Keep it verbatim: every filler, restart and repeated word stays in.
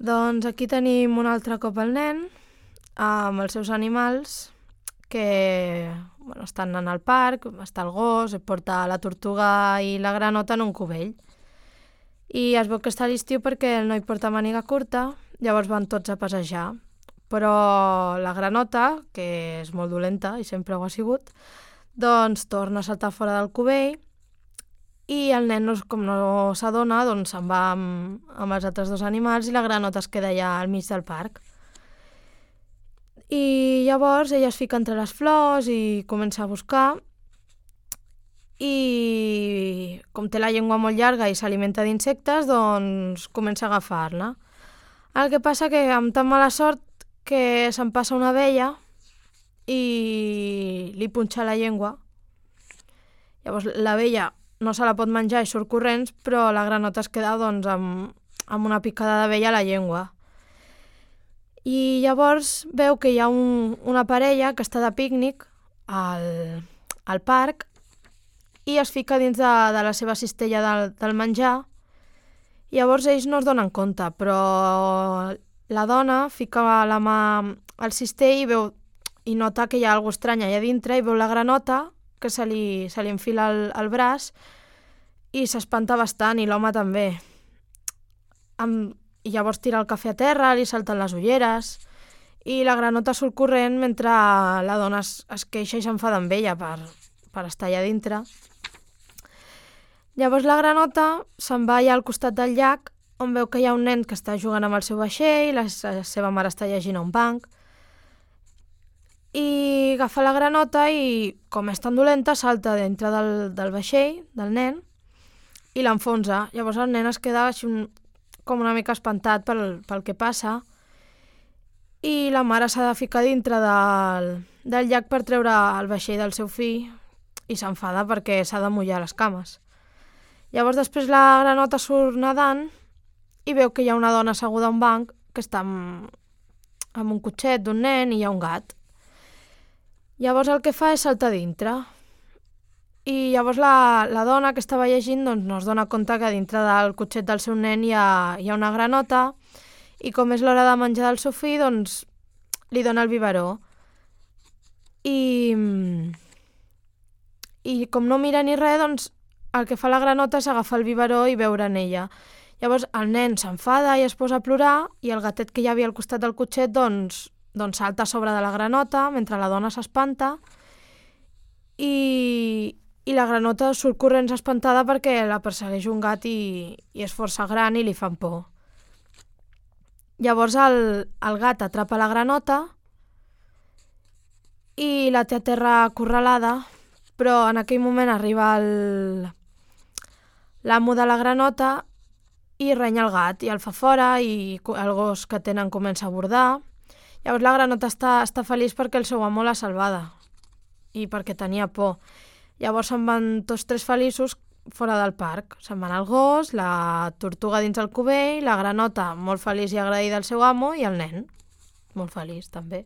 Doncs aquí tenim un altre cop el nen amb els seus animals que bueno, estan en el parc, està el gos, porta la tortuga i la granota en un cubell. I es veu que està a l'estiu perquè el noi porta màniga curta, llavors van tots a passejar. Però la granota, que és molt dolenta i sempre ho ha sigut, doncs torna a saltar fora del cubell i el nen, com no s'adona, doncs se'n va amb, amb els altres dos animals i la granota es queda allà al mig del parc. I llavors ella es fica entre les flors i comença a buscar i com té la llengua molt llarga i s'alimenta d'insectes, doncs comença a agafar-la. El que passa que amb tan mala sort que se'n passa una abella i li punxa la llengua. Llavors l'abella no se la pot menjar i surt corrents, però la granota es queda doncs, amb, amb una picada d'abella a la llengua. I llavors veu que hi ha un, una parella que està de pícnic al, al parc i es fica dins de, de la seva cistella del, del menjar. Llavors ells no es donen compte, però la dona fica la mà al cistell i, veu, i nota que hi ha alguna estranya allà dintre i veu la granota que se li, se li enfila al, al braç i s'espanta bastant, i l'home també. Amb, I llavors tira el cafè a terra, li salten les ulleres i la granota surt corrent mentre la dona es, es queixa i s'enfada amb ella per, per estar allà dintre. Llavors la granota se'n va allà al costat del llac on veu que hi ha un nen que està jugant amb el seu vaixell, la, la seva mare està llegint a un banc, i agafa la granota i, com és tan dolenta, salta dintre del, del vaixell, del nen, i l'enfonsa. Llavors el nen es queda així un, com una mica espantat pel, pel que passa i la mare s'ha de ficar dintre del, del llac per treure el vaixell del seu fill i s'enfada perquè s'ha de mullar les cames. Llavors després la granota surt nedant i veu que hi ha una dona asseguda a un banc que està amb, amb un cotxet d'un nen i hi ha un gat. Llavors el que fa és saltar dintre. I llavors la, la dona que estava llegint doncs, no es dona compte que dintre del cotxet del seu nen hi ha, hi ha una granota i com és l'hora de menjar del seu fill, doncs li dona el biberó. I, i com no mira ni res, doncs el que fa la granota és agafar el biberó i beure en ella. Llavors el nen s'enfada i es posa a plorar i el gatet que hi havia al costat del cotxet doncs, doncs salta a sobre de la granota mentre la dona s'espanta i, i la granota surt corrents espantada perquè la persegueix un gat i, i és força gran i li fan por. Llavors el, el gat atrapa la granota i la té a terra acorralada, però en aquell moment arriba el, l'amo de la granota i renya el gat i el fa fora i el gos que tenen comença a bordar. Llavors la granota està, està feliç perquè el seu amo l'ha salvada i perquè tenia por. Llavors se'n van tots tres feliços fora del parc. Se'n van el gos, la tortuga dins el cubell, la granota molt feliç i agraïda al seu amo i el nen molt feliç també.